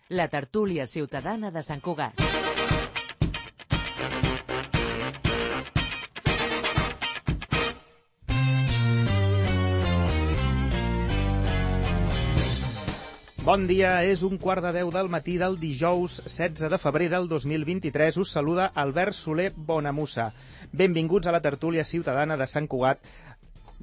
La tertúlia ciutadana de Sant Cugat. Bon dia, és 1:15 del matí del dijous 16 de febrer del 2023. Us saluda Albert Soler Bonamussa. Benvinguts a la tertúlia ciutadana de Sant Cugat,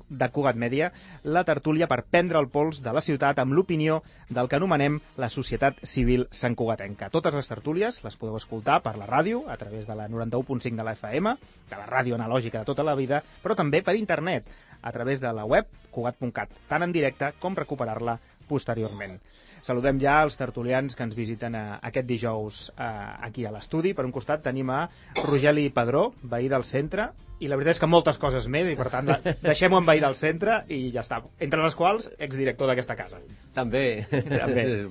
de Cugat Mèdia, la tertúlia per prendre el pols de la ciutat amb l'opinió del que anomenem la societat civil santcugatenca. Totes les tertúlies les podeu escoltar per la ràdio, a través de la 91.5 de la FM, de la ràdio analògica de tota la vida, però també per internet, a través de la web cugat.cat, tant en directe com recuperar-la posteriorment. Saludem ja els tertulians que ens visiten aquest dijous aquí a l'estudi. Per un costat tenim a Rogeli Padró, veí del centre, i la veritat és que moltes coses més, i per tant deixem-ho en veí del centre i ja està. Entre les quals, exdirector d'aquesta casa. També.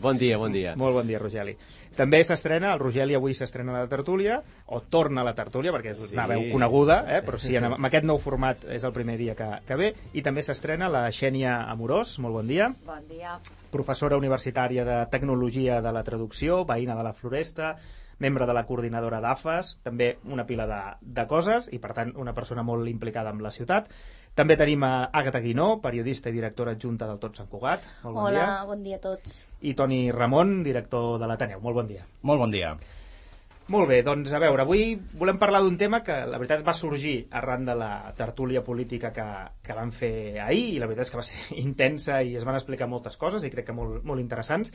Bon dia, bon dia. Molt bon dia, Rogeli. També s'estrena, el Rogeli avui s'estrena a la tertúlia, o torna a la tertúlia, perquè és una veu coneguda, però sí, amb aquest nou format és el primer dia que ve, i també s'estrena la Xènia Amorós. Molt bon dia. Bon dia. Professora universitària de Tecnologia de la Traducció, veïna de la Floresta, membre de la coordinadora d'AFAS, també una pila de coses, i per tant una persona molt implicada amb la ciutat. També tenim a Àgata Guinó, periodista i directora adjunta del Tot Sant Cugat. Molt bon dia. Hola, bon dia a tots. I Toni Ramon, director de l'Ateneu. Molt bon dia. Molt bon dia. Molt bé, doncs a veure, avui volem parlar d'un tema que la veritat va sorgir arran de la tertúlia política que vam fer ahir, i la veritat és que va ser intensa i es van explicar moltes coses i crec que molt interessants,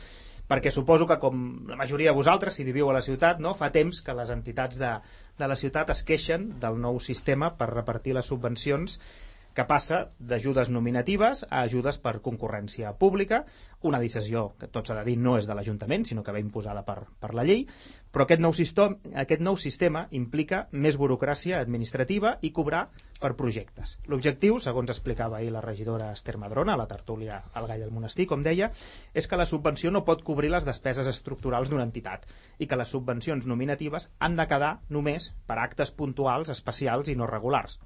perquè suposo que com la majoria de vosaltres, si viviu a la ciutat, no, fa temps que les entitats de la ciutat es queixen del nou sistema per repartir les subvencions, que passa d'ajudes nominatives a ajudes per concurrència pública, una decisió que tot s'ha de dir no és de l'Ajuntament, sinó que ve imposada per la llei, però aquest nou sistema implica més burocràcia administrativa i cobrar per projectes. L'objectiu, segons explicava ahir la regidora Esther Madrona, a la tertúlia al Gall del Monestir, com deia, és que la subvenció no pot cobrir les despeses estructurals d'una entitat i que les subvencions nominatives han de quedar només per actes puntuals, especials i no regulars.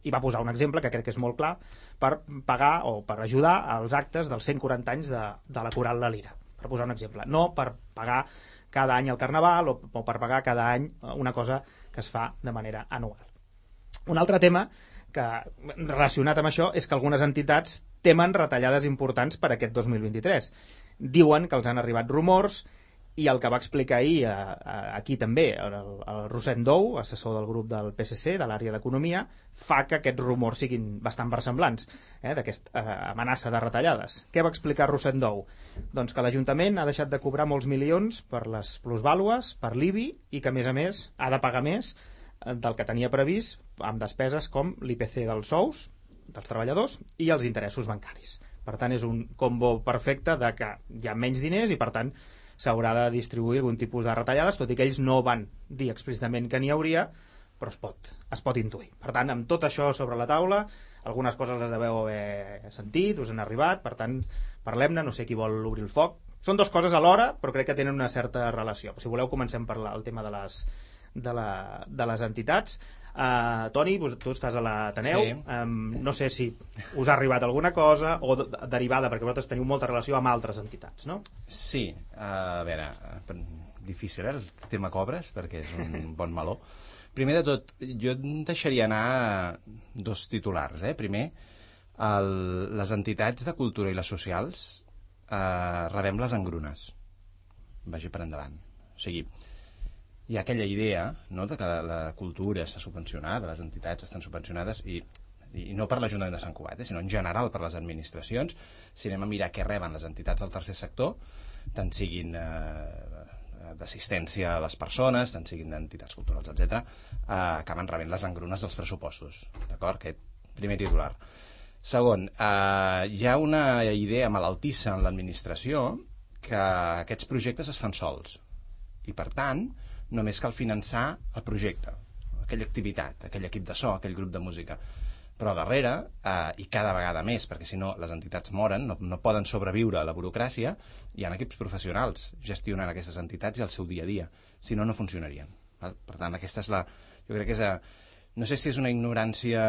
I va posar un exemple que crec que és molt clar per pagar o per ajudar als actes dels 140 anys de la Coral de Lira, per posar un exemple, no per pagar cada any el Carnaval o per pagar cada any una cosa que es fa de manera anual. Un altre tema que relacionat amb això és que algunes entitats temen retallades importants per aquest 2023. Diuen que els han arribat rumors, i el que va explicar ahir aquí també el Rossend Dou, assessor del grup del PSC de l'àrea d'Economia, fa que aquests rumors siguin bastant versemblants d'aquesta amenaça de retallades. Què va explicar Rossend Dou? Doncs que l'Ajuntament ha deixat de cobrar molts milions per les plusvàlues, per l'IBI, i que a més ha de pagar més del que tenia previst amb despeses com l'IPC dels sous dels treballadors i els interessos bancaris. Per tant, és un combo perfecte de que hi ha menys diners i per tant s'haurà de distribuir algun tipus de retallades, tot i que ells no van dir explícitament que n'hi hauria, però es pot intuir. Per tant, amb tot això sobre la taula, algunes coses les deveu haver sentit, us han arribat, per tant, parlem-ne, no sé qui vol obrir el foc. Són dues coses alhora, però crec que tenen una certa relació. Si voleu, comencem per el tema de les entitats. Toni, tu estàs a l'Ateneu, sí. No sé si us ha arribat alguna cosa o derivada, perquè vosaltres teniu molta relació amb altres entitats, no? Sí, a veure, difícil el tema cobres, perquè és un bon meló. Primer de tot, jo deixaria anar dos titulars. Primer, les entitats de cultura i les socials rebem les engrunes. Vagi per endavant. O sigui, hi ha aquella idea, no?, de que la cultura està subvencionada, les entitats estan subvencionades, i no per l'Ajuntament de Sant Cugat, sinó en general per les administracions. Si anem a mirar què reben les entitats del tercer sector, tant siguin d'assistència a les persones, tant siguin d'entitats culturals, etc., acaben rebent les engrunes dels pressupostos. D'acord? Aquest primer titular. Segon, hi ha una idea malaltissa en l'administració que aquests projectes es fan sols. I, per tant, només cal finançar el projecte, aquella activitat, aquell equip de so, aquell grup de música. Però darrere, i cada vegada més, perquè si no les entitats moren, no poden sobreviure a la burocràcia, hi ha equips professionals gestionant aquestes entitats i el seu dia a dia. Si no, no funcionarien. Per tant, aquesta és la... Jo crec que és... No sé si és una ignorància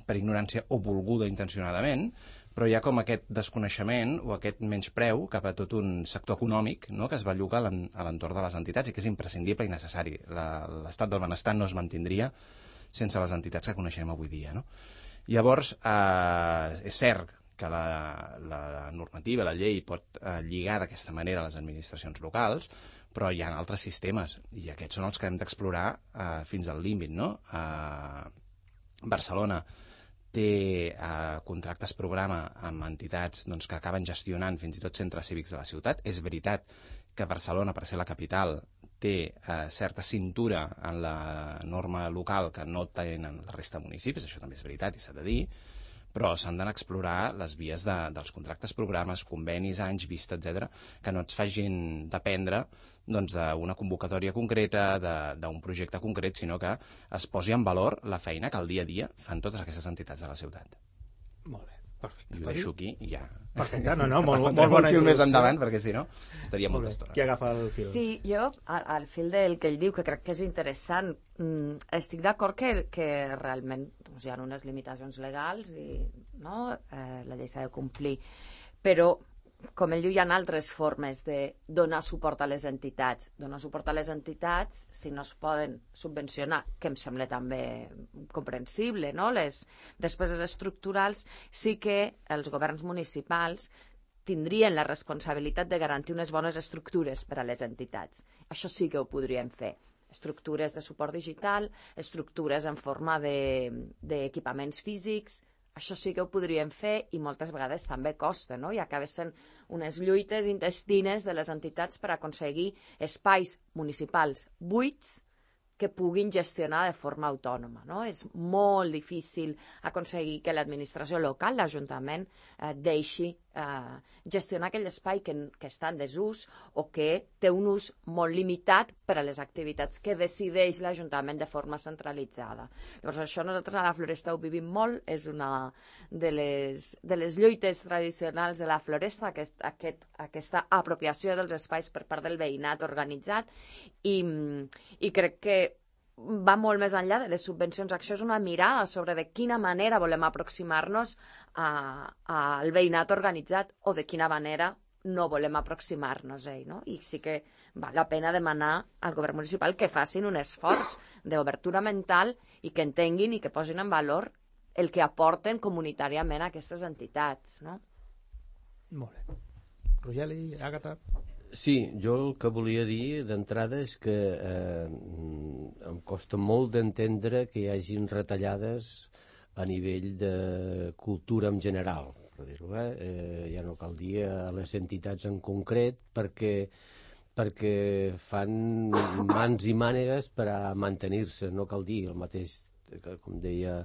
per ignorància o volguda intencionadament, però hi ha com aquest desconeixement o aquest menyspreu cap a tot un sector econòmic, no?, que es belluga a l'entorn de les entitats i que és imprescindible i necessari. L'estat del benestar no es mantindria sense les entitats que coneixem avui dia, no? Llavors, és cert que la normativa, la llei, pot lligar d'aquesta manera a les administracions locals, però hi ha altres sistemes, i aquests són els que hem d'explorar fins al límit, no? Barcelona té contractes programa amb entitats que acaben gestionant fins i tot centres cívics de la ciutat. És veritat que Barcelona, per ser la capital, té certa cintura en la norma local que no tenen la resta de municipis, això també és veritat i s'ha de dir, però s'han d'anar a explorar les vies dels contractes programes, convenis, anys vista, etc, que no ens facin dependre d'una convocatòria concreta, d'un projecte concret, sinó que es posi en valor la feina que al dia a dia fan totes aquestes entitats de la ciutat. Molt bé, perfecte. I ho deixo aquí i ja. Perfecte, molt bona introducció. Més endavant, perquè si no estaria molta estona. Qui agafa el fil? Sí, jo, al fil del que ell diu, que crec que és interessant, estic d'acord que realment hi ha unes limitacions legals i la llei s'ha de complir, però com ell diu, hi ha altres formes de donar suport a les entitats. Donar suport a les entitats, si no es poden subvencionar, que em sembla també comprensible, no? Les despeses estructurals, sí que els governs municipals tindrien la responsabilitat de garantir unes bones estructures per a les entitats. Això sí que ho podríem fer. Estructures de suport digital, estructures en forma d'equipaments físics. Això sí que ho podríem fer i moltes vegades també costa, no? I acaba sent unes lluites intestines de les entitats per aconseguir espais municipals buits que puguin gestionar de forma autònoma, no? És molt difícil aconseguir que l'administració local, l'Ajuntament, deixi gestionar aquell espai que està en desús o que té un ús molt limitat per a les activitats que decideix l'Ajuntament de forma centralitzada. Llavors això nosaltres a la Floresta ho vivim molt, és una de les lluites tradicionals de la Floresta, aquesta apropiació dels espais per part del veïnat organitzat i crec que va molt més enllà de les subvencions. Això és una mirada sobre de quina manera volem aproximar-nos al veïnat organitzat o de quina manera no volem aproximar-nos a ell, no? I sí que val la pena demanar al govern municipal que facin un esforç d'obertura mental i que entenguin i que posin en valor el que aporten comunitàriament a aquestes entitats, no? Molt bé. Rogeli, Àgata? Sí, jo el que volia dir d'entrada és que em costa molt d'entendre que hi hagin retallades a nivell de cultura en general, per dir-ho, ja no cal dir a les entitats en concret, perquè fan mans i mànegues per a mantenir-se, no cal dir el mateix, com deia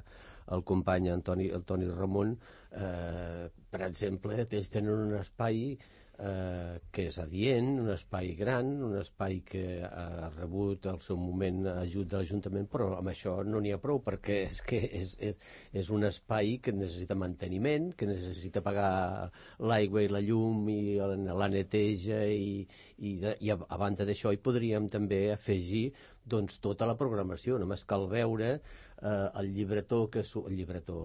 el company Toni Ramon, per exemple, ells tenen un espai que és adient, un espai gran, un espai que ha rebut al seu moment ajut de l'Ajuntament, però amb això no n'hi ha prou, perquè és que és un espai que necessita manteniment, que necessita pagar l'aigua i la llum i la neteja i a banda d'això hi podríem també afegir tota la programació. Només cal veure el llibretó,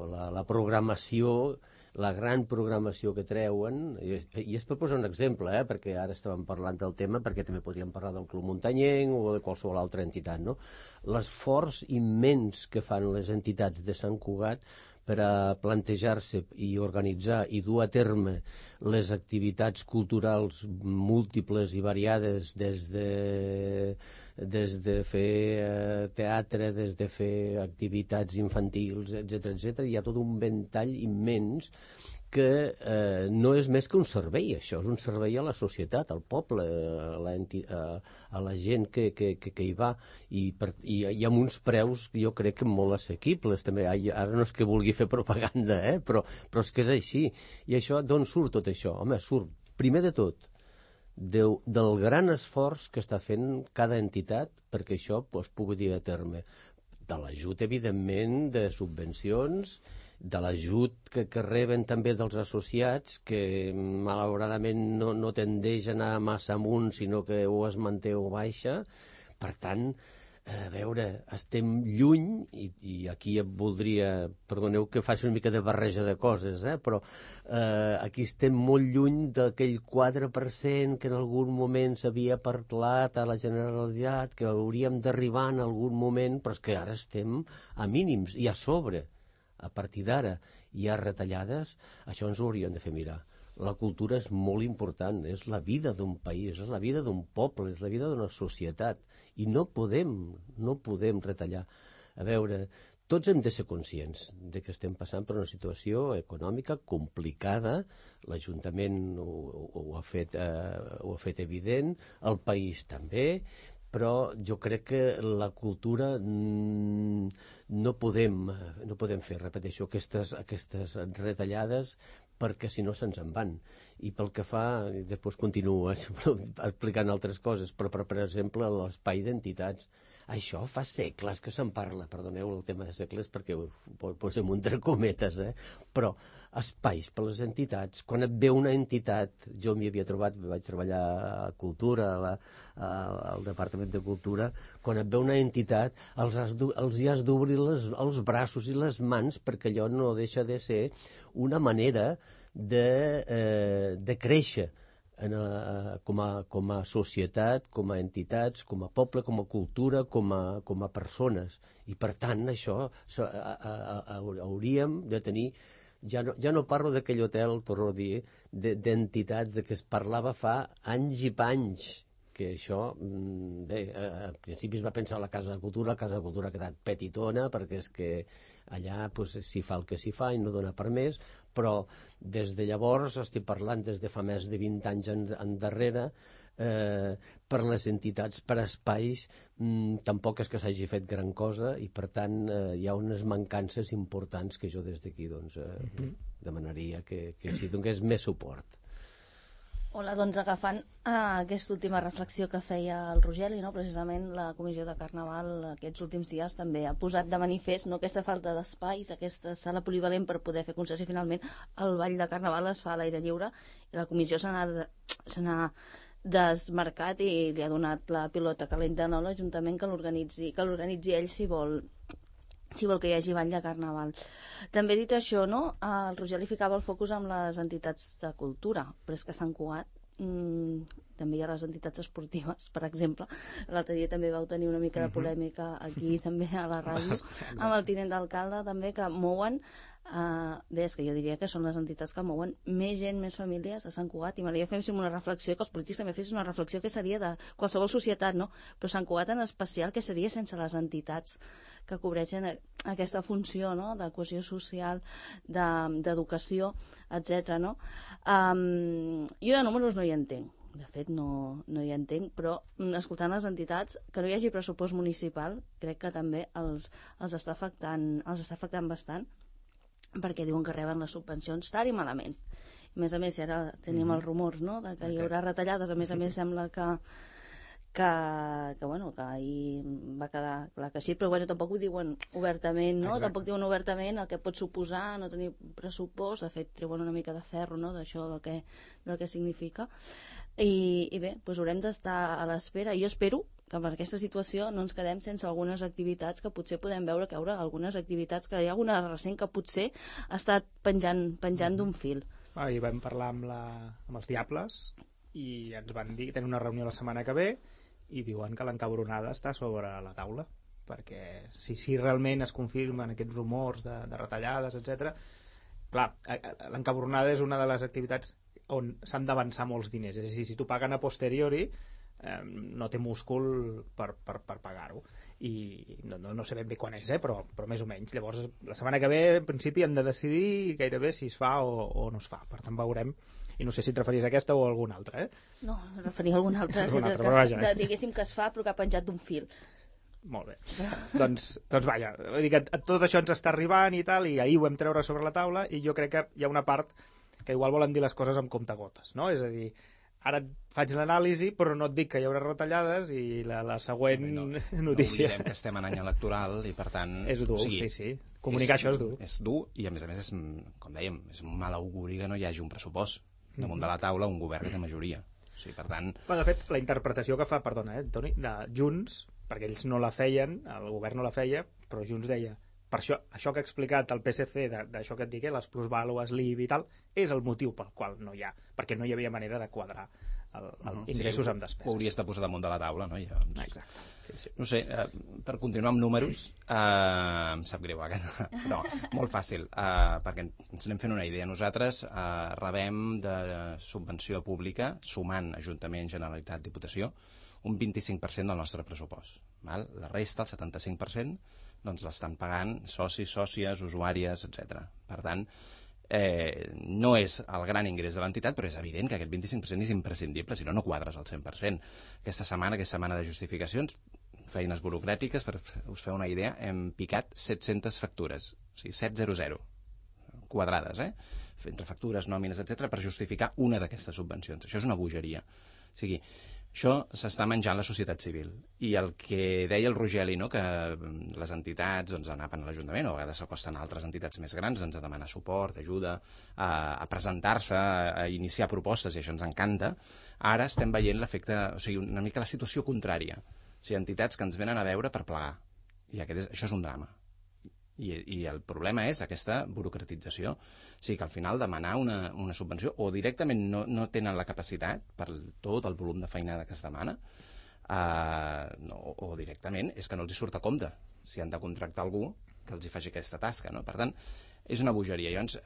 la programació, la gran programació que treuen, i és per posar un exemple, perquè ara estàvem parlant del tema, perquè també podríem parlar del Club Muntanyenc o de qualsevol altra entitat, no? L'esforç immens que fan les entitats de Sant Cugat per a plantejar-se i organitzar i dur a terme les activitats culturals múltiples i variades, des de fer teatre, des de fer activitats infantils, etc. Hi ha tot un ventall immens que no és més que un servei. Això és un servei a la societat, al poble, a la gent que hi va, i amb uns preus jo crec que molt assequibles també. Ara no és que vulgui fer propaganda, però és que és així. I això, d'on surt tot això? Home, surt, primer de tot, del gran esforç que està fent cada entitat perquè això es pugui dur a terme. De l'ajut, evidentment, de subvencions, de l'ajut que reben també dels associats, que malauradament no tendeix a anar massa amunt, sinó que o es manté o baixa. Per tant, a veure, estem lluny, i aquí voldria, perdoneu que faci una mica de barreja de coses, però aquí estem molt lluny d'aquell 4% que en algun moment s'havia parlat a la Generalitat, que hauríem d'arribar en algun moment, però és que ara estem a mínims, i a sobre, a partir d'ara, hi ha retallades, això ens ho hauríem de fer mirar. La cultura és molt important, és la vida d'un país, és la vida d'un poble, és la vida d'una societat, i no podem retallar. A veure, tots hem de ser conscients de que estem passant per una situació econòmica complicada, l'Ajuntament ho ha fet evident, el país també, però jo crec que la cultura no podem fer, repeteixo, aquestes retallades, perquè si no se'ns en van. I pel que fa, després continuo explicant altres coses, però per exemple l'espai d'entitats, això fa segles que se'n parla, perdoneu el tema de segles perquè ho posem entre cometes, però espais per les entitats, quan et ve una entitat, jo m'hi havia trobat, vaig treballar a Cultura, al Departament de Cultura, quan et ve una entitat els hi has d'obrir els braços i les mans, perquè allò no deixa de ser una manera de créixer com a societat, com a entitats, com a poble, com a cultura, com a persones. I per tant això hauríem de tenir, ja no parlo d'aquell hotel, torno a dir, d'entitats de què es parlava fa anys i panys, que això, bé, al principi es va pensar a la Casa de Cultura ha quedat petitona, perquè és que allà s'hi fa el que s'hi fa i no dona per més, però des de llavors, estic parlant des de fa més de 20 anys endarrere, per les entitats, per espais, tampoc és que s'hagi fet gran cosa, i per tant hi ha unes mancances importants que jo des d'aquí demanaria que s'hi donés més suport. Hola, doncs agafant aquesta última reflexió que feia el Rogeli, precisament la Comissió de Carnaval aquests últims dies també ha posat de manifest aquesta falta d'espais, aquesta sala polivalent per poder fer concerts, i finalment el ball de Carnaval es fa a l'aire lliure i la Comissió se n'ha desmarcat i li ha donat la pilota calenta a l'Ajuntament que l'organitzi ell si vol que hi hagi ball de Carnaval. També dit això, el Rogeli ficava el focus amb les entitats de cultura, però és que Sant Cugat també hi ha les entitats esportives, per exemple. L'altre dia també vau tenir una mica de polèmica aquí també a la ràdio amb el tinent d'alcalde també, que mouen bé, és que jo diria que són les entitats que mouen més gent, més famílies a Sant Cugat, i m'agradaria fer una reflexió, que els polítics també fessin una reflexió que seria de qualsevol societat, però Sant Cugat en especial, que seria sense les entitats que cobreixen aquesta funció de cohesió social, d'educació, etc. Jo de números no hi entenc, de fet no hi entenc, però escoltant les entitats, que no hi hagi pressupost municipal crec que també els està afectant bastant, perquè diuen que reben les subvencions tard i malament. A més, ara tenim els rumors de que hi haurà retallades. A més sembla que ahir va quedar clar que sí, però tampoc ho diuen obertament, tampoc diuen obertament el que pot suposar no tenir pressupost. De fet, treuen una mica de ferro d'això del que significa, i bé, haurem d'estar a l'espera. Jo espero que per aquesta situació no ens quedem sense algunes activitats que potser podem veure que hi haurà algunes activitats, que hi ha alguna recent que potser ha estat penjant d'un fil. I vam parlar amb els Diables i ens van dir que tenen una reunió la setmana que ve i diuen que l'encabronada està sobre la taula, perquè si realment es confirmen aquests rumors de retallades, etc. Clar, l'encabronada és una de les activitats on s'han d'avançar molts diners, és a dir, si t'ho paguen a posteriori no té múscul per pagar-ho, i no sé ben bé quan és, però més o menys. Llavors la setmana que ve en principi han de decidir gairebé si es fa o no es fa, per tant veurem, i no sé si et referies a aquesta o a alguna altra. No, em referia a alguna altra, diguéssim que es fa però que ha penjat d'un fil. Molt bé, doncs vaja, vull dir que tot això ens està arribant i tal, i ahir ho vam treure sobre la taula, i jo crec que hi ha una part que igual volen dir les coses amb comptagotes, no? És a dir, ara et faig l'anàlisi però no et dic que hi haurà retallades, i la següent notícia... No oblidem que estem en any electoral i per tant... És dur, sí. Comunicar això és dur. És dur, i a més és, com dèiem, és un mal auguri que no hi hagi un pressupost damunt de la taula, un govern que té majoria. O sigui, per tant... De fet, la interpretació que fa, perdona, Toni, de Junts perquè ells no la feien, el govern no la feia, però Junts deia, per això que ha explicat el PSC, d'això que et dic, les plusvàlues, l'IBI i tal, és el motiu pel qual no hi ha, perquè no hi havia manera de quadrar ingressos amb despeses. Ho hauries de posar damunt de la taula, no? Exacte. Sí. No sé, per continuar amb números, em sap greu, però molt fàcil, perquè ens anem fent una idea. Nosaltres rebem de subvenció pública, sumant Ajuntament, Generalitat, Diputació, un 25% del nostre pressupost. Val? La resta, el 75%, doncs l'estan pagant socis, sòcies, usuàries, etc. Per tant, no és el gran ingrés de l'entitat, però és evident que aquest 25% és imprescindible, si no, no quadres al 100%. Aquesta setmana de justificacions, feines burocràtiques, per us fer una idea, hem picat 700 factures, o sigui, 700, quadrades, entre factures, nòmines, etc., per justificar una d'aquestes subvencions. Això és una bogeria. O sigui, això s'està menjant la societat civil. I el que deia el Rogeli, no?, que les entitats anaven a l'Ajuntament, o a vegades s'acosten a altres entitats més grans, a demanar suport, ajuda, a presentar-se, a iniciar propostes, i això ens encanta. Ara estem veient l'efecte, o sigui, una mica la situació contrària. O sigui, entitats que ens venen a veure per plegar. I això és un drama. I el problema és aquesta burocratització. O sigui que al final demanar una subvenció o directament no tenen la capacitat per tot el volum de feinada que es demana, o directament és que no els hi surt a compte si han de contractar algú que els hi faci aquesta tasca, no? Per tant, és una bogeria. Llavors,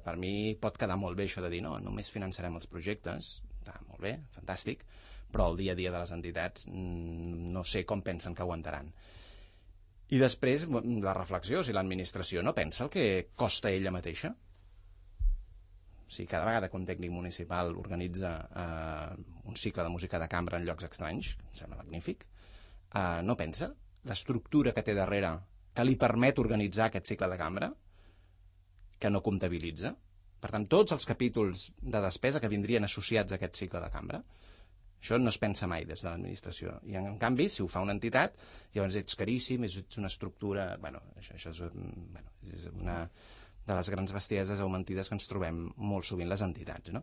per mi pot quedar molt bé això de dir no, només finançarem els projectes, està molt bé, fantàstic, però el dia a dia de les entitats no sé com pensen que aguantaran. I després, la reflexió, si l'administració no pensa el que costa ella mateixa. O sigui, cada vegada que un tècnic municipal organitza un cicle de música de cambra en llocs estranys, em sembla magnífic, no pensa l'estructura que té darrere que li permet organitzar aquest cicle de cambra, que no comptabilitza. Per tant, tots els capítols de despesa que vindrien associats a aquest cicle de cambra, això no es pensa mai des de l'administració. I, en canvi, si ho fa una entitat, llavors ets caríssim, ets una estructura... Això és una de les grans bestieses augmentides que ens trobem molt sovint les entitats, no?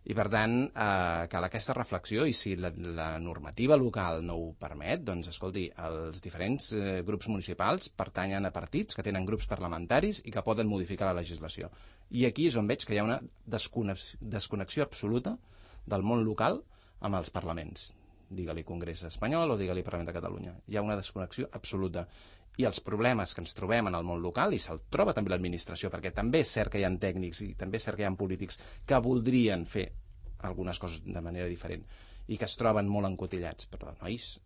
I, per tant, cal aquesta reflexió, i si la normativa local no ho permet, doncs, escolti, els diferents grups municipals pertanyen a partits que tenen grups parlamentaris i que poden modificar la legislació. I aquí és on veig que hi ha una desconnexió absoluta del món local amb els parlaments, digue-li Congrés espanyol o digue-li Parlament de Catalunya. Hi ha una desconnexió absoluta. I els problemes que ens trobem en el món local, i se'l troba també l'administració, perquè també és cert que hi ha tècnics i també és cert que hi ha polítics que voldrien fer algunes coses de manera diferent i que es troben molt encotillats. Però, nois,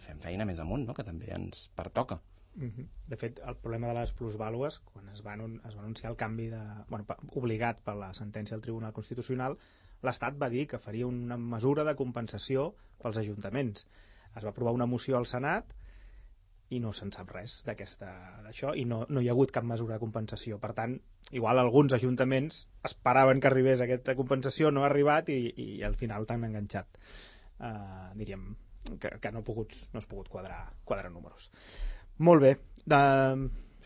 fem feina més amunt, no?, que també ens pertoca. De fet, el problema de les plusvàlues, quan es va anunciar el canvi obligat per la sentència del Tribunal Constitucional, l'Estat va dir que faria una mesura de compensació pels ajuntaments. Es va aprovar una moció al Senat i no se'n sap res d'això, i no hi ha hagut cap mesura de compensació. Per tant, igual alguns ajuntaments esperaven que arribés aquesta compensació, no ha arribat i al final t'han enganxat. Diríem que no has pogut quadrar números. Molt bé.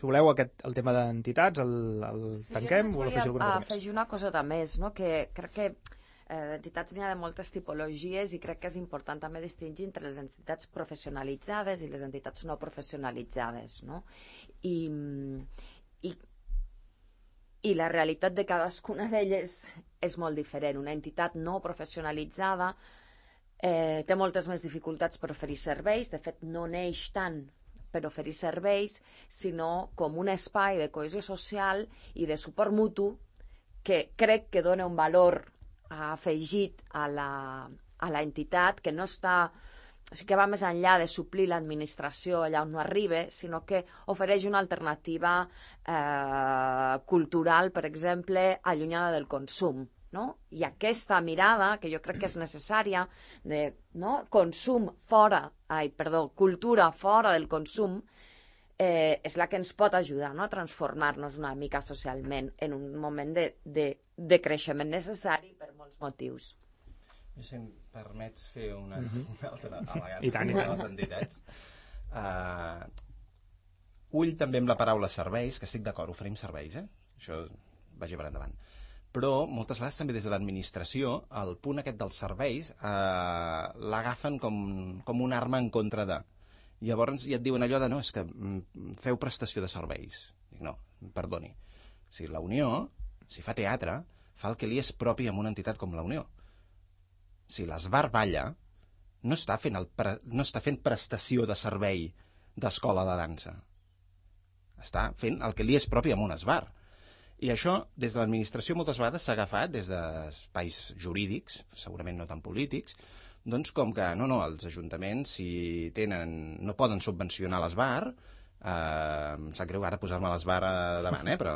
Si voleu, el tema d'entitats el tanquem? Sí, jo volia afegir una coseta més, no? Que crec que d'entitats n'hi ha de moltes tipologies i crec que és important també distingir entre les entitats professionalitzades i les entitats no professionalitzades, no? I la realitat de cadascuna d'elles és molt diferent. Una entitat no professionalitzada té moltes més dificultats per oferir serveis, de fet no neix tant per oferir serveis, sinó com un espai de cohesió social i de suport mutu que crec que dona un valor afegit a la entitat, que no està, o sigui, que va més enllà de suplir l'administració allà on no arriba, sinó que ofereix una alternativa cultural, per exemple, allunyada del consum, no? I aquesta mirada, que jo crec que és necessària, de cultura fora del consum, és la que ens pot ajudar, no?, a transformar-nos una mica socialment en un moment de creixement necessari per molts motius. Si em permets fer una altra I tant. de les entitats. Ull també amb la paraula serveis, que estic d'acord, oferim serveis, això vagi per endavant. Però moltes vegades també des de l'administració el punt aquest dels serveis l'agafen com una arma en contra de... Llavors ja et diuen allò de, no, és que feu prestació de serveis. Dic, no, perdoni. Si la Unió, si fa teatre, fa el que li és propi amb una entitat com la Unió. Si l'Esbar balla, no està fent prestació de servei d'escola de dansa. Està fent el que li és propi amb un esbar. I això, des de l'administració, moltes vegades s'ha agafat des d'espais jurídics, segurament no tan polítics, doncs com que, no, els ajuntaments, si no poden subvencionar l'esbar, em sap greu ara posar-me l'esbar davant, però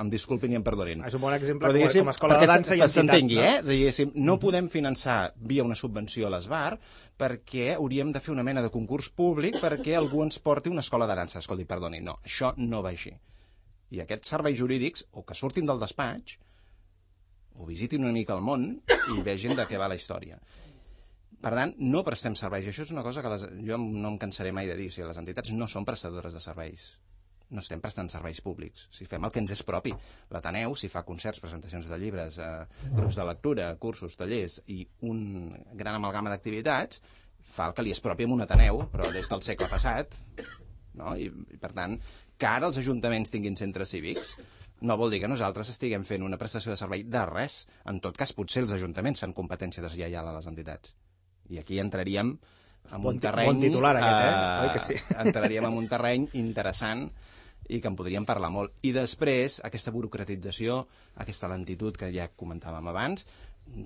em disculpin i em perdonin. És un bon exemple però, com a escola de dansa i entitat. S'entengui, diguéssim, no podem finançar via una subvenció a l'esbar perquè hauríem de fer una mena de concurs públic perquè algú ens porti una escola de dansa. Escolti, perdoni, no, això no va així. I aquests serveis jurídics, o que surtin del despatx, o visitin una mica el món i vegin de què va la història. Per tant, no prestem serveis. Això és una cosa que jo no em cansaré mai de dir. O sigui, les entitats no són prestadores de serveis. No estem prestant serveis públics. Si fem el que ens és propi. L'Ateneu, si fa concerts, presentacions de llibres, grups de lectura, cursos, tallers i un gran amalgama d'activitats, fa el que li és propi amb un Ateneu, però des del segle passat. No? I per tant, que ara els ajuntaments tinguin centres cívics no vol dir que nosaltres estiguem fent una prestació de servei de res. En tot cas, potser els ajuntaments fan competència deslleial a les entitats. I aquí entraríem en un terreny... Bon titular aquest, Oi que sí? Entraríem en un terreny interessant i que en podríem parlar molt. I després, aquesta burocratització, aquesta lentitud que ja comentàvem abans,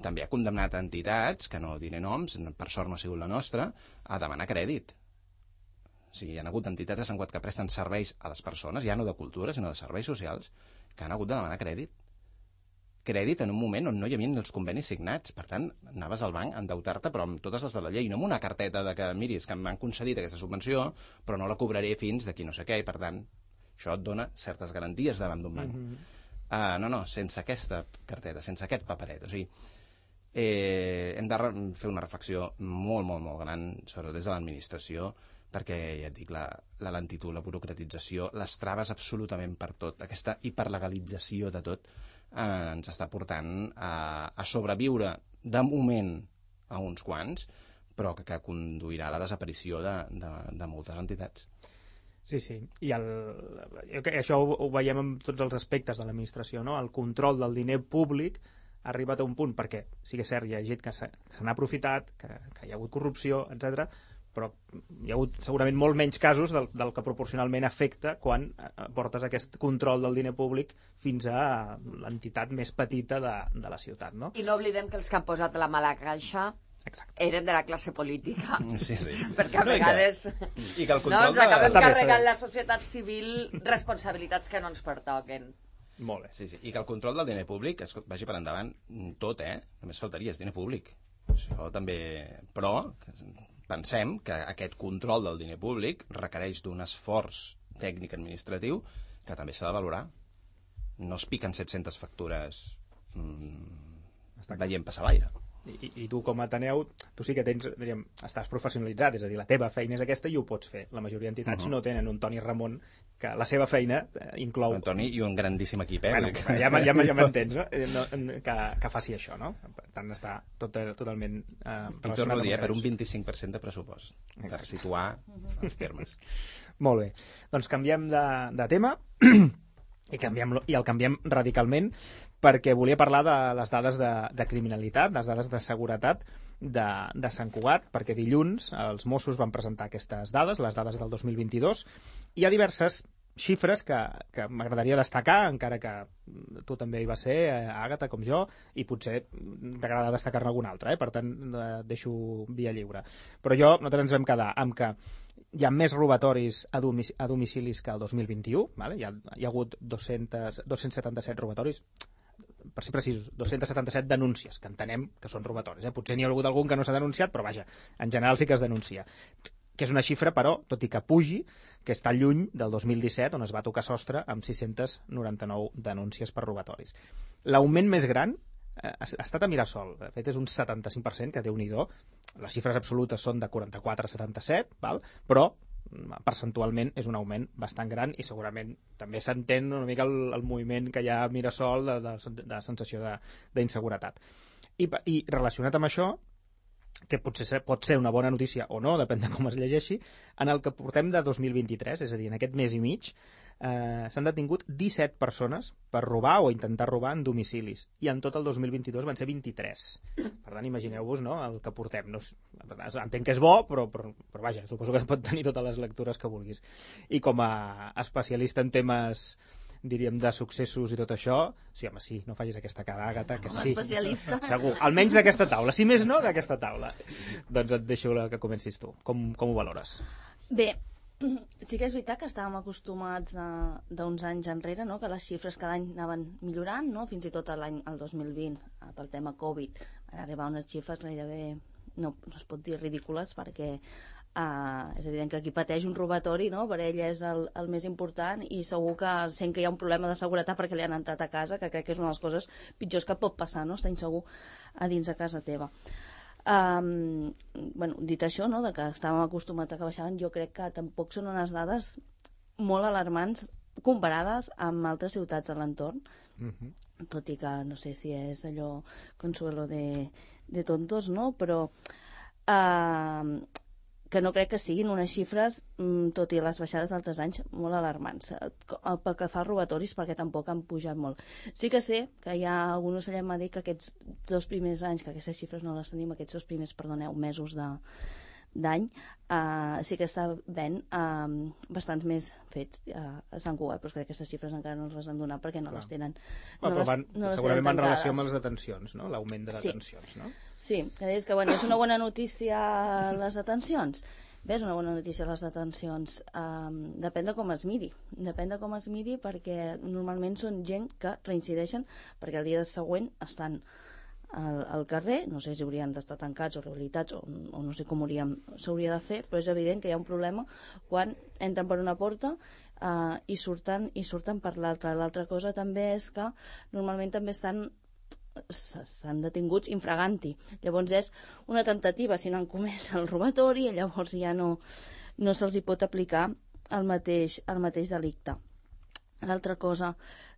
també ha condemnat entitats, que no diré noms, per sort no ha sigut la nostra, a demanar crèdit. O sigui, hi ha hagut entitats a Sant Cugat que presten serveis a les persones, ja no de cultura, sinó de serveis socials, que han hagut de demanar crèdit. Crèdit en un moment on no hi havia els convenis signats. Per tant, anaves al banc a endeutar-te, però amb totes les de la llei, no amb una carteta de que, miri, és que m'han concedit aquesta subvenció, però no la cobraré fins d'aquí no sé què, i per tant, això et dona certes garanties davant d'un banc. No, sense aquesta carteta, sense aquest paperet. O sigui, hem de fer una reflexió molt, molt, molt gran, sobretot des de l'administració, perquè, ja et dic, la lentitud, la burocratització, les traves absolutament per tot, aquesta hiperlegalització de tot, ens està portant a sobreviure de moment a uns quants, però que conduirà a la desaparició de moltes entitats. Sí. I això ho veiem en tots els aspectes de l'administració, no? El control del diner públic ha arribat a un punt, perquè sí que és cert, hi ha gent que se n'ha aprofitat, que hi ha hagut corrupció, etc., però hi ha hagut segurament molt menys casos del que proporcionalment afecta quan portes aquest control del diner públic fins a l'entitat més petita de la ciutat, no? I no oblidem que els que han posat la mala caixa eren de la classe política. Sí. Perquè a vegades i que el control ens acabem carregant la societat civil responsabilitats que no ens pertoquen. Molt bé. Sí. I que el control del diner públic vagi per endavant tot, només faltaria, és diner públic. Això també... Però pensem que aquest control del diner públic requereix d'un esforç tècnic administratiu que també s'ha de valorar. No es piquen 700 factures veient passar l'aire. I tu com a Ateneu, tu sí que tens, diríem, estàs professionalitzat, és a dir, la teva feina és aquesta i ho pots fer. La majoria d'entitats no tenen un Toni Ramon que la seva feina inclou... Un Toni i un grandíssim equip, Bueno, ja m'entens, no? Que faci això, no? Per tant, està totalment I torno a dir, per un 25% de pressupost, per situar els termes. Molt bé. Doncs canviem de tema i el canviem radicalment perquè volia parlar de les dades de criminalitat, les dades de seguretat de Sant Cugat, perquè dilluns els Mossos van presentar aquestes dades, les dades del 2022. Hi ha diverses xifres que m'agradaria destacar, encara que tu també hi vas ser, Àgata, com jo, i potser t'agrada destacar-ne alguna altra, per tant deixo via lliure. Però nosaltres ens vam quedar amb que hi ha més robatoris a domicilis que el 2021, vale? Hi ha hagut 277 robatoris, per ser precisos, 277 denúncies, que entenem que són robatoris. Potser n'hi ha hagut algun que no s'ha denunciat, però vaja, en general sí que es denuncia. Que és una xifra, però, tot i que pugi, que està lluny del 2017, on es va tocar sostre amb 699 denúncies per robatoris. L'augment més gran ha estat a Mirasol. De fet, és un 75%, que Déu-n'hi-do. Les xifres absolutes són de 44 a 77, val? Però percentualment és un augment bastant gran i segurament també s'entén una mica el moviment que hi ha a Mirasol de sensació d'inseguretat. I relacionat amb això, que potser pot ser una bona notícia o no, depèn de com es llegeixi, en el que portem de 2023, és a dir, en aquest mes i mig, s'han detingut 17 persones per robar o intentar robar en domicilis, i en tot el 2022 van ser 23. Per tant, imagineu-vos, no?, el que portem. No, entenc que és bo, però vaja, suposo que pot tenir totes les lectures que vulguis. I com a especialista en temes, diríem, de successos i tot això, sí, home, sí, no facis aquesta cara, Àgata, que sí. Especialista. Segur, almenys d'aquesta taula. Si més no, d'aquesta taula. Doncs et deixo que comencis tu. Com ho valores? Bé, sí que és veritat que estàvem acostumats d'uns anys enrere, no?, que les xifres cada any anaven millorant, no?, fins i tot el 2020, pel tema Covid, van arribar unes xifres gairebé, no es pot dir ridícules, perquè és evident que qui pateix un robatori, no?, per ell és el més important, i segur que sent que hi ha un problema de seguretat perquè li han entrat a casa, que crec que és una de les coses pitjors que pot passar, no?, estar insegur a dins de casa teva. Bueno, dit això, no?, de que estàvem acostumats a que baixaven, jo crec que tampoc són unes dades molt alarmants comparades amb altres ciutats de l'entorn, tot i que no sé si és allò consuelo de tontos, no?, però que no crec que siguin unes xifres, tot i les baixades d'altres anys, molt alarmants. Pel que fa a robatoris, perquè tampoc han pujat molt. Sí que sé que hi ha algun ocellet m'ha dit que aquests 2 primers anys, que aquestes xifres no les tenim, aquests 2 primers, mesos d'any, sí que està ben bastants més fets a Sant Cugat, però és que aquestes xifres encara no les han donat perquè no les tenen. Segurament van en relació amb les detencions, no?, l'augment de detencions, no? Sí, que deies que és una bona notícia les detencions. Bé, és una bona notícia les detencions. Depèn de com es miri. Depèn de com es miri, perquè normalment són gent que reincideixen perquè el dia següent estan al carrer, no sé si haurien d'estar tancats o rehabilitats o no sé com s'hauria de fer, però és evident que hi ha un problema quan entren per una porta i surten per l'altra. L'altra cosa també és que normalment també s'han detinguts infraganti. Llavors és una temptativa, si no han comès el robatori, i llavors ja no se'ls hi pot aplicar el mateix delicte. L'altra cosa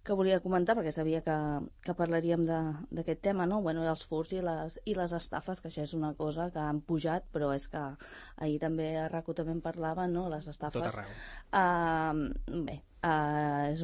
que volia comentar, perquè sabia que parlaríem d'aquest tema, no? Bueno, els furts i les estafes, que això és una cosa que han pujat, però és que ahir també a RACU també en parlava, no? Les estafes. Tot arreu. Bé, és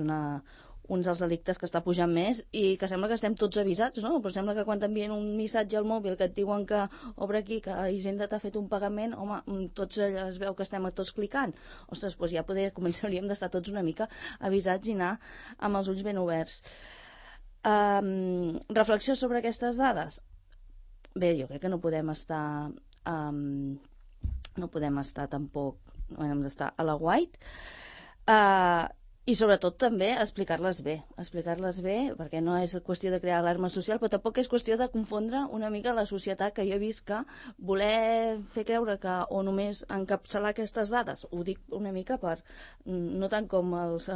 un dels delictes que està pujant més i que sembla que estem tots avisats, no? Però sembla que quan t'envien un missatge al mòbil que et diuen que obre aquí, que Hisenda t'ha fet un pagament, home, tots es veu que estem tots clicant. Ostres, doncs ja començaríem d'estar tots una mica avisats i anar amb els ulls ben oberts. Reflexió sobre aquestes dades? Bé, jo crec que no podem estar tampoc, no hem d'estar a la guait, i sobretot també explicar-les bé, perquè no és qüestió de crear alarma social, però tampoc és qüestió de confondre una mica la societat, que jo he vist que voler fer creure que o només encapçalar aquestes dades, ho dic una mica per, no tant com els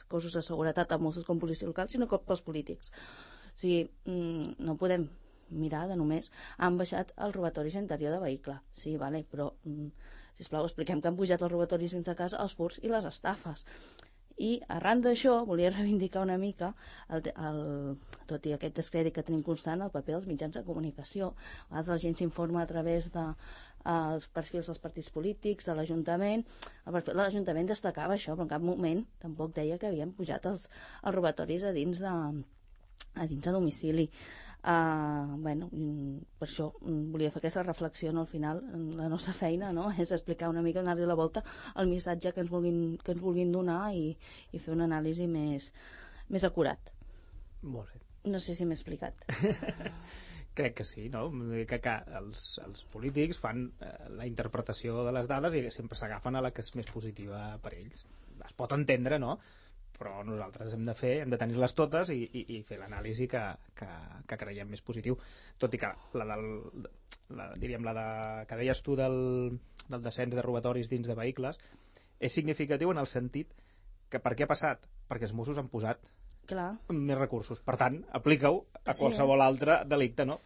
cossos de seguretat, amb Mossos com policia local, sinó com pels polítics. O sigui, no podem mirar de només han baixat els robatoris a interior de vehicle, sí, vale, però sisplau, expliquem que han pujat els robatoris dins de casa, els furts i les estafes. I arran d'això volia reivindicar una mica tot i aquest descrèdit que tenim constant, el paper dels mitjans de comunicació. A vegades la gent s'informa a través dels perfils dels partits polítics, de l'Ajuntament. El perfil de l'Ajuntament destacava això, però en cap moment tampoc deia que havien pujat els robatoris a dins de domicili. Bueno, per això volia fer aquesta reflexió, no? Al final la nostra feina, no?, és explicar una mica, donar-li la volta al missatge que ens vulguin donar i fer una anàlisi més acurat. Molt bé. No sé si m'he explicat. Crec que sí, no? Que els polítics fan la interpretació de les dades i sempre s'agafen a la que és més positiva per ells. Es pot entendre, no?, però nosaltres hem de tenir-les totes i fer l'anàlisi que creiem més positiu, tot i que que deies tu del descens de robatoris dins de vehicles és significatiu en el sentit que per què ha passat? Perquè els Mossos han posat més recursos, per tant, aplica-ho a qualsevol altre delicte, no?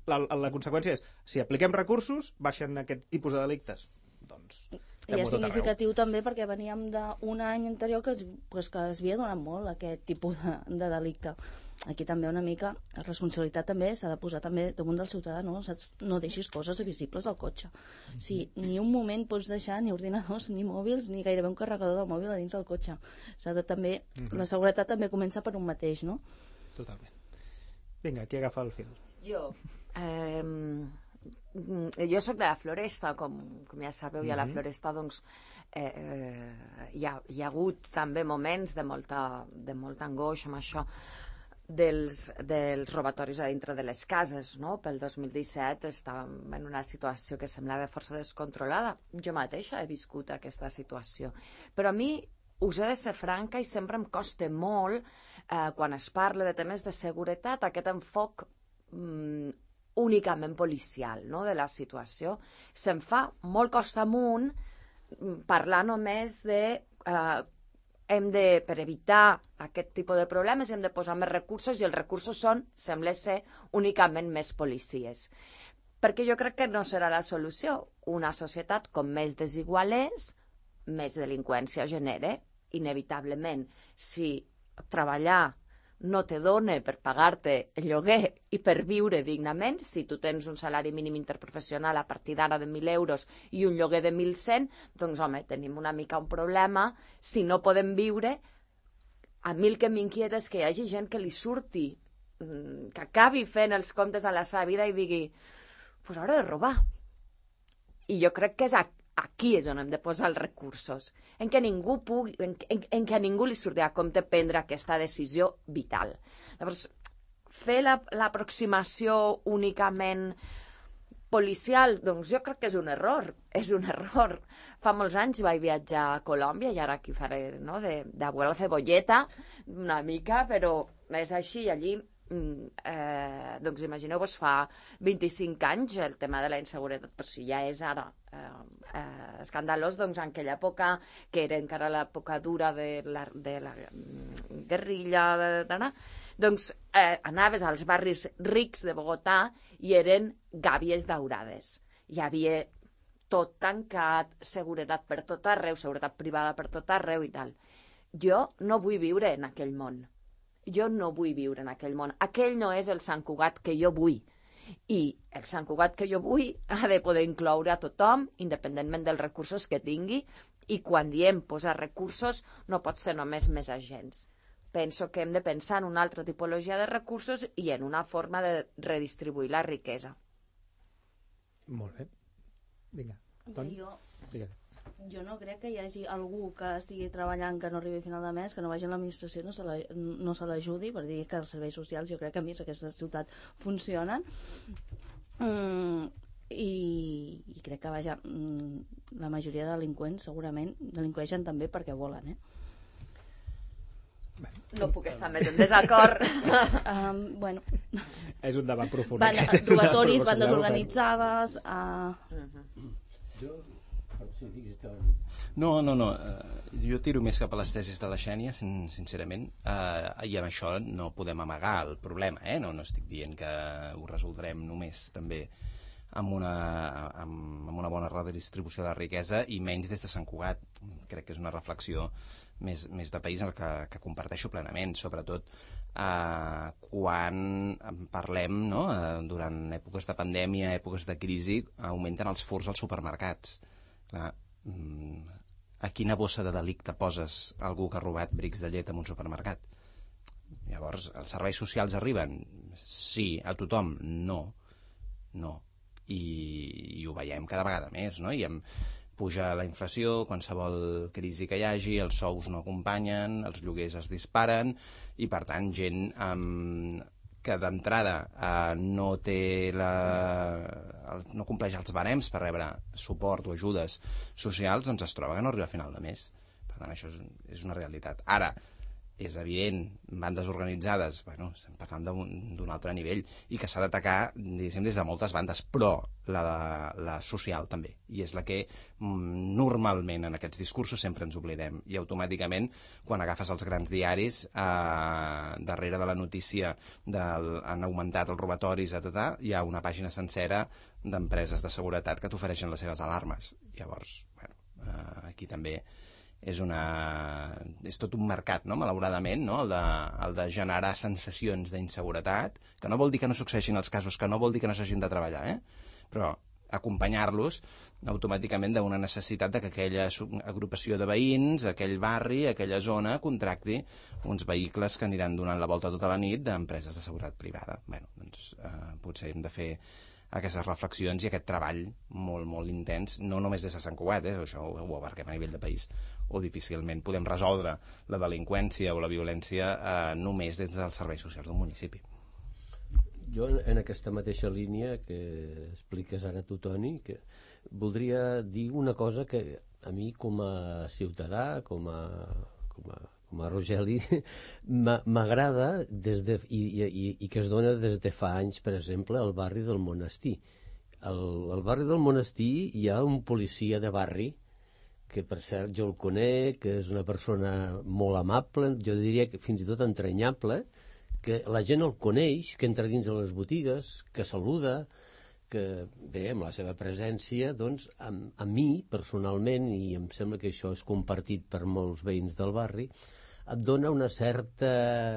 La conseqüència és, si apliquem recursos, baixen aquest tipus de delictes, doncs I és significatiu també perquè veníem d'un any anterior que es havia donat molt aquest tipus de delicte. Aquí també una mica la responsabilitat també s'ha de posar també damunt del ciutadà, no? Saps? No deixis coses visibles al cotxe. Sí, ni un moment pots deixar ni ordinadors, ni mòbils, ni gairebé un carregador de mòbil a dins del cotxe. S'ha de també, la seguretat també comença per un mateix, no? Totalment. Vinga, qui agafa el fil? Jo soc de la Floresta, com ja sabeu, i a la Floresta doncs, hi ha hagut també moments de molta angoixa amb això dels robatoris a dintre de les cases, no? Pel 2017 estàvem en una situació que semblava força descontrolada. Jo mateixa he viscut aquesta situació. Però a mi, us he de ser franca, i sempre em costa molt, quan es parla de temes de seguretat, aquest enfoc únicament policial, no?, de la situació. Se'm fa molt costa amunt parlar només de per evitar aquest tipus de problemes hem de posar més recursos, i els recursos sembla ser únicament més policies. Perquè jo crec que no serà la solució. Una societat com més desigual és, més delinqüència genera, inevitablement. Si treballar no te dona per pagar-te el lloguer i per viure dignament, si tu tens un salari mínim interprofessional a partir d'ara de 1.000 euros i un lloguer de 1.100, doncs, home, tenim una mica un problema. Si no podem viure, a mi el que m'inquieta és que hi hagi gent que li surti, que acabi fent els comptes a la seva vida i digui, pues hauré de robar. I jo crec que és aquí és on hem de posar els recursos, en què ningú pugui, en què a ningú li surti a compte prendre aquesta decisió vital. Llavors, fer l'aproximació únicament policial, doncs jo crec que és un error. Fa molts anys vaig viatjar a Colòmbia, i ara aquí faré, no?, d'abuela cebolleta, una mica, però és així. Allí doncs imagineu-vos, fa 25 anys el tema de la inseguretat, però si ja és ara escandalós, doncs en aquella època, que era encara l'època dura de la guerrilla, doncs anaves als barris rics de Bogotà i eren gàbies daurades. Hi havia tot tancat, seguretat per tot arreu, seguretat privada per tot arreu i tal. Jo no vull viure en aquell món. Jo no vull viure en aquell món. Aquell no és el Sant Cugat que jo vull. I el Sant Cugat que jo vull ha de poder incloure a tothom, independentment dels recursos que tingui, i quan diem posar recursos no pot ser només més agents. Penso que hem de pensar en una altra tipologia de recursos i en una forma de redistribuir la riquesa. Molt bé. Vinga. Jo no crec que hi hagi algú que estigui treballant que no arribi a final de mes, que no vagi a l'administració, no se l'ajudi, per dir que els serveis socials, jo crec que a més aquesta ciutat funcionen, i crec que la majoria de delinqüents segurament delinqüeixen també perquè volen, No puc estar més en desacord. Bueno, és un debat profund. Robatoris, bandes organitzades... No. Jo tiro més cap a les tesis de la Xènia, sincerament, i amb això no podem amagar el problema, no estic dient que ho resoldrem només també amb una bona redistribució de la riquesa, i menys des de Sant Cugat. Crec que és una reflexió més de país en el que comparteixo plenament, sobretot quan parlem, no?, durant èpoques de pandèmia, èpoques de crisi, augmenten els furts als supermercats. Clar, a quina bossa de delicte poses algú que ha robat brics de llet en un supermercat? Llavors, els serveis socials arriben? Sí. A tothom? No. I ho veiem cada vegada més, no? I puja la inflació, qualsevol crisi que hi hagi, els sous no acompanyen, els lloguers es disparen, i per tant gent que d'entrada no compleix els barems per rebre suport o ajudes socials, doncs es troba que no arriba a final de mes. Per tant, això és una realitat. Ara, és evident, bandes organitzades, estem parlant d'un altre nivell, i que s'ha d'atacar, diguéssim, des de moltes bandes, però la social també, i és la que normalment en aquests discursos sempre ens oblidem, i automàticament quan agafes els grans diaris, darrere de la notícia han augmentat els robatoris, hi ha una pàgina sencera d'empreses de seguretat que t'ofereixen les seves alarmes. Llavors, aquí també és tot un mercat, no? Malauradament, no? El de generar sensacions d'inseguretat, que no vol dir que no succeeixin els casos, que no vol dir que no s'hagin de treballar, però acompanyar-los automàticament d'una necessitat de que aquella agrupació de veïns, aquell barri, aquella zona, contracti uns vehicles que aniran donant la volta tota la nit d'empreses de seguretat privada. Doncs potser hem de fer aquestes reflexions i aquest treball molt, molt intens, no només des de Sant Cugat, això ho abarquem a nivell de país, o difícilment podem resoldre la delinqüència o la violència només des dels serveis socials d'un municipi. Jo, en aquesta mateixa línia que expliques ara tu, Toni, que voldria dir una cosa que a mi, com a ciutadà, com a Rogeli, m'agrada i que es dona des de fa anys, per exemple, al barri del Monestir. Al barri del Monestir hi ha un policia de barri que, per cert, jo el conec, que és una persona molt amable, jo diria que fins i tot entranyable, que la gent el coneix, que entra dins de les botigues, que saluda, que bé, amb la seva presència, doncs, a mi, personalment, i em sembla que això és compartit per molts veïns del barri, et dona una certa,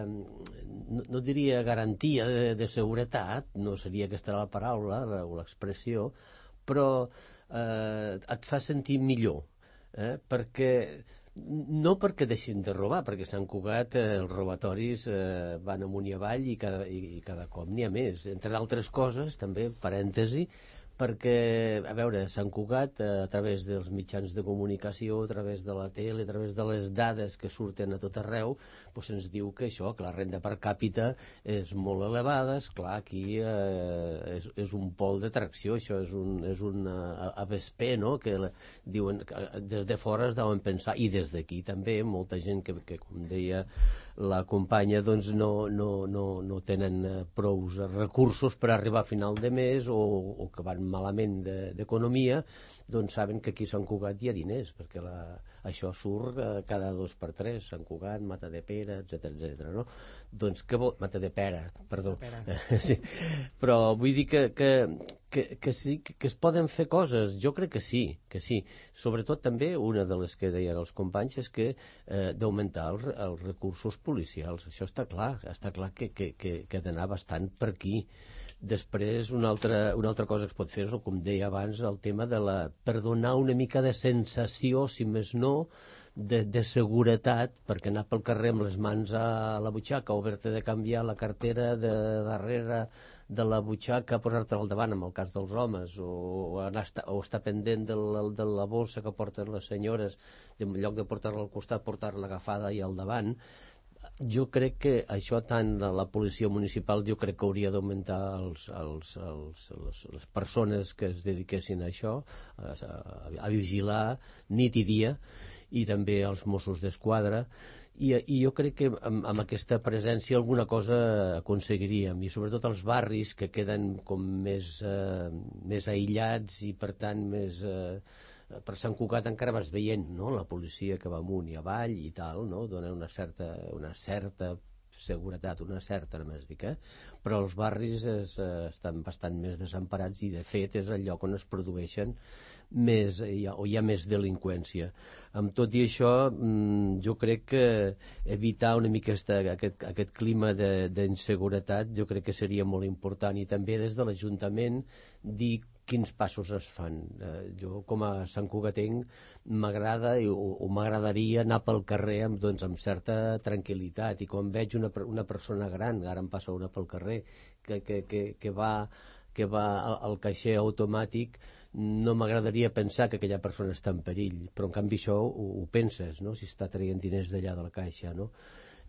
no diria garantia de seguretat, no seria aquesta la paraula o l'expressió, però et fa sentir millor, perquè no perquè deixin de robar, perquè a Sant Cugat els robatoris van amunt i avall i cada cop n'hi ha més, entre d'altres coses, també, parèntesi, perquè, a veure, Sant Cugat, a través dels mitjans de comunicació, a través de la tele, a través de les dades que surten a tot arreu, doncs ens diu que això, que la renda per càpita és molt elevada, esclar, aquí és un pol d'atracció, això és un ABSP, no?, que diuen, des de fora es deuen pensar, i des d'aquí també, molta gent que com deia la companya, doncs no tenen prous recursos per arribar a final de mes o que van malament d'economia, doncs saben que aquí a Sant Cugat hi ha diners, perquè això surt cada 2 per 3, Sant Cugat, Matadepera, etc, no? Doncs què vol... Matadepera, perdó. Sí. Però vull dir que sí, que es poden fer coses, jo crec que sí. Sobretot també, una de les que deien els companys, és que d'augmentar els recursos policials, això està clar que ha d'anar bastant per aquí. Després, una altra cosa que es pot fer és, com deia abans, el tema per donar una mica de sensació, si més no, de seguretat, perquè anar pel carrer amb les mans a la butxaca o haver-te de canviar la cartera de darrere de la butxaca, posar-te al davant, en el cas dels homes, o estar pendent de la bossa que porten les senyores, en lloc de portar-la al costat, portar-la agafada i al davant. Jo crec que això, tant la policia municipal, jo crec que hauria d'augmentar les persones que es dediquessin a això, a vigilar nit i dia, i també els Mossos d'Esquadra, i jo crec que amb aquesta presència alguna cosa aconseguiríem, i sobretot els barris que queden com més aïllats i per tant més... per Sant Cugat encara vas veient, no?, la policia que va amunt i avall i tal, no?, dona una certa seguretat, una certa només dic, però els barris estan bastant més desemparats i de fet és el lloc on es produeixen més, o hi ha més delinqüència. Amb tot i això, jo crec que evitar una mica aquest clima d'inseguretat jo crec que seria molt important, i també des de l'Ajuntament dir quins passos es fan. Jo, com a Sant Cugatenc, m'agrada o m'agradaria anar pel carrer amb certa tranquil·litat, i quan veig una persona gran, ara em passa una pel carrer, que va al caixer automàtic, no m'agradaria pensar que aquella persona està en perill, però en canvi això ho penses, no?, si està traient diners d'allà de la caixa, no?,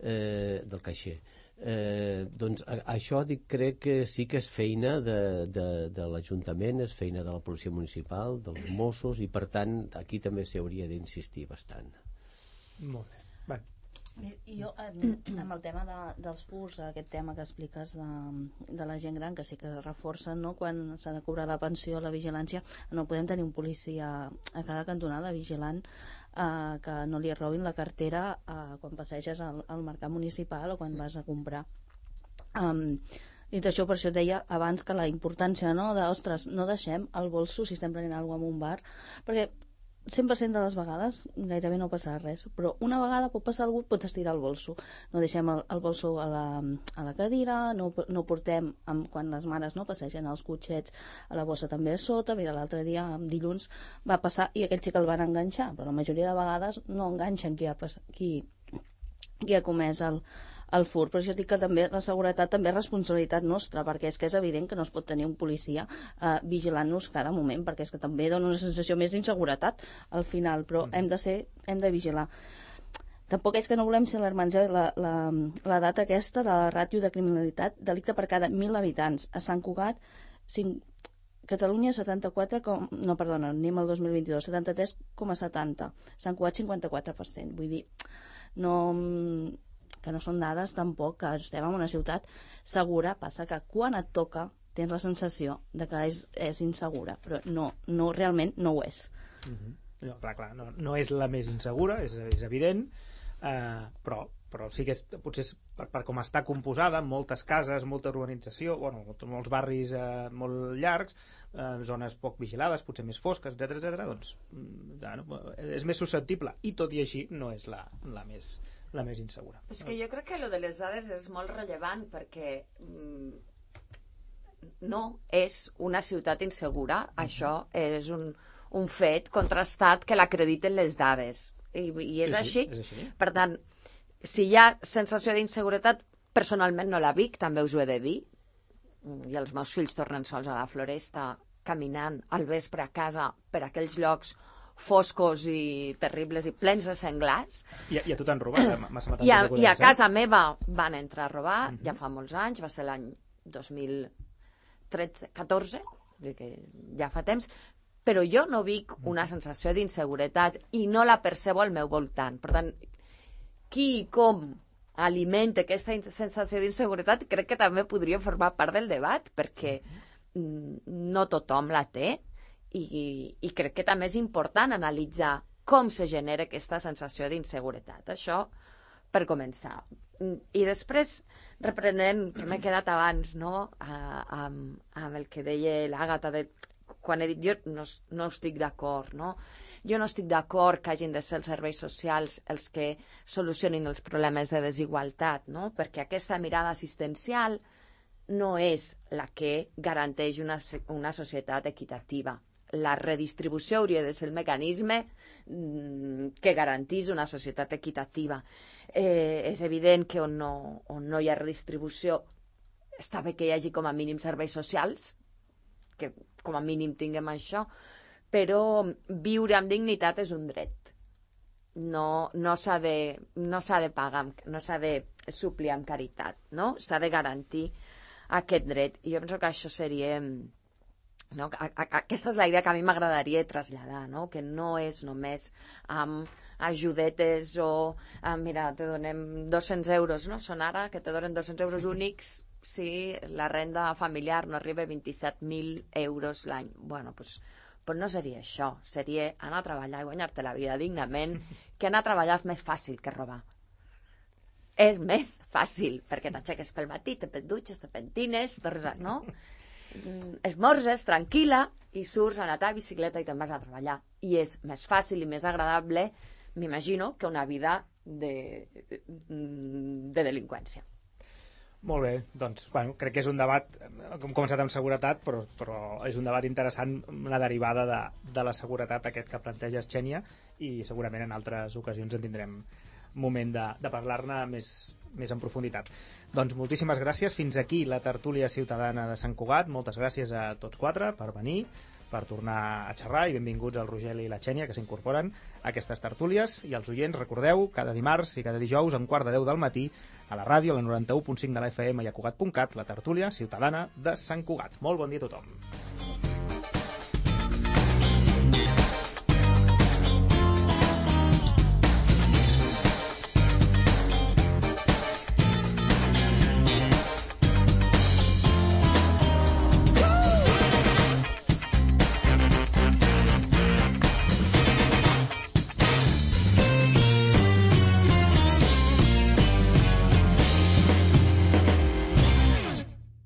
del caixer. Doncs això crec que sí que és feina de l'Ajuntament, és feina de la policia municipal, dels Mossos, i per tant aquí també s'hi hauria d'insistir bastant. Molt bé. Bé. I jo, amb el tema dels furs, aquest tema que expliques de la gent gran, que sí que reforcen, no?, quan s'ha de cobrar la pensió, la vigilància, no podem tenir un policia a cada cantonada vigilant que no li robin la cartera quan passeges al mercat municipal o quan vas a comprar. Dit això, per això deia abans que la importància, no?, de, ostres, no deixem el bolso si estem prenent alguna cosa en un bar, perquè 100% de les vegades gairebé no passarà res, però una vegada pot passar algú, pots estirar el bolso. No deixem el bolso a la cadira, no portem, quan les mares no passegen els cotxets, a la bossa també a sota. Mira, l'altre dia, dilluns, va passar i aquell xic el van enganxar, però la majoria de vegades no enganxen qui ha comès el fur. Per això dic que també la seguretat també és responsabilitat nostra, perquè és que és evident que no es pot tenir un policia vigilant-nos cada moment, perquè és que també dona una sensació més d'inseguretat al final, però hem de vigilar. Tampoc és que no volem ser alarmants, la data aquesta de la ràtio de criminalitat, delicte per cada 1.000 habitants. A Sant Cugat, Catalunya 74, no, perdona, anem al 2022, 73,70. Sant Cugat 54%. Vull dir, que no són dades tampoc, que estem en una ciutat segura, passa que quan et toca tens la sensació de que és insegura, però no realment no ho és. No, clar, no és la més insegura, és evident, però sí que potser per com està composada, moltes cases, molta urbanització, molts barris molt llargs, zones poc vigilades, potser més fosques, etc., doncs és més susceptible, i tot i així no és la més insegura. És que jo crec que lo de les dades és molt rellevant, perquè no és una ciutat insegura, això és un fet contrastat que l'acrediten les dades, i és així. Per tant, si hi ha sensació d'inseguretat, personalment no la vic, també us ho he de dir, i els meus fills tornen sols a la floresta caminant al vespre a casa per aquells llocs foscos i terribles i plens de senglars. I a tu t'han robat? I a casa meva van entrar a robar, ja fa molts anys, va ser l'any 2013-14, que ja fa temps, però jo no vic una sensació d'inseguretat i no la percebo al meu voltant. Per tant, qui i com alimenta aquesta sensació d'inseguretat crec que també podria formar part del debat, perquè no tothom la té, i crec que també és important analitzar com se genera aquesta sensació d'inseguretat. Això per començar. I després, reprenent, que m'he quedat abans, no?, amb el que deia l'Àgata, quan he dit jo no estic d'acord, no? Jo no estic d'acord que hagin de ser els serveis socials els que solucionin els problemes de desigualtat, no? Perquè aquesta mirada assistencial no és la que garanteix una societat equitativa. La redistribució hauria de ser el mecanisme que garantís una societat equitativa. És evident que on no hi ha redistribució està bé que hi hagi com a mínim serveis socials, que com a mínim tinguem això, però viure amb dignitat és un dret. No s'ha de pagar, no s'ha de suplir amb caritat, no? S'ha de garantir aquest dret. I jo penso que això seria... No? Aquesta és la idea que a mi m'agradaria traslladar, no? Que no és només amb ajudetes o mira, te donem 200 euros, no? Són ara que te donen 200 euros únics si la renda familiar no arriba a 27.000 euros l'any. Bueno, doncs no seria això. Seria anar a treballar i guanyar-te la vida dignament, que anar a treballar és més fàcil que robar. És més fàcil, perquè t'aixeques pel matí, te dutxes, te pentines, no? Esmorzes tranquil·la i surts a anar a bicicleta i te'n vas a treballar. I és més fàcil i més agradable, m'imagino, que una vida de delinqüència. Molt bé, doncs crec que és un debat, hem començat amb seguretat, però és un debat interessant, una derivada de la seguretat aquest que planteja Xènia, i segurament en altres ocasions en tindrem moment de parlar-ne més en profunditat. Doncs moltíssimes gràcies, fins aquí la tertúlia ciutadana de Sant Cugat. Moltes gràcies a tots quatre per venir, per tornar a xerrar, i benvinguts al Rogeli i la Xènia, que s'incorporen a aquestes tertúlies. I als oients, recordeu, cada dimarts i cada dijous a 9:45 del matí a la ràdio, a la 91.5 de la FM i a Cugat.cat, la tertúlia ciutadana de Sant Cugat. Molt bon dia a tothom.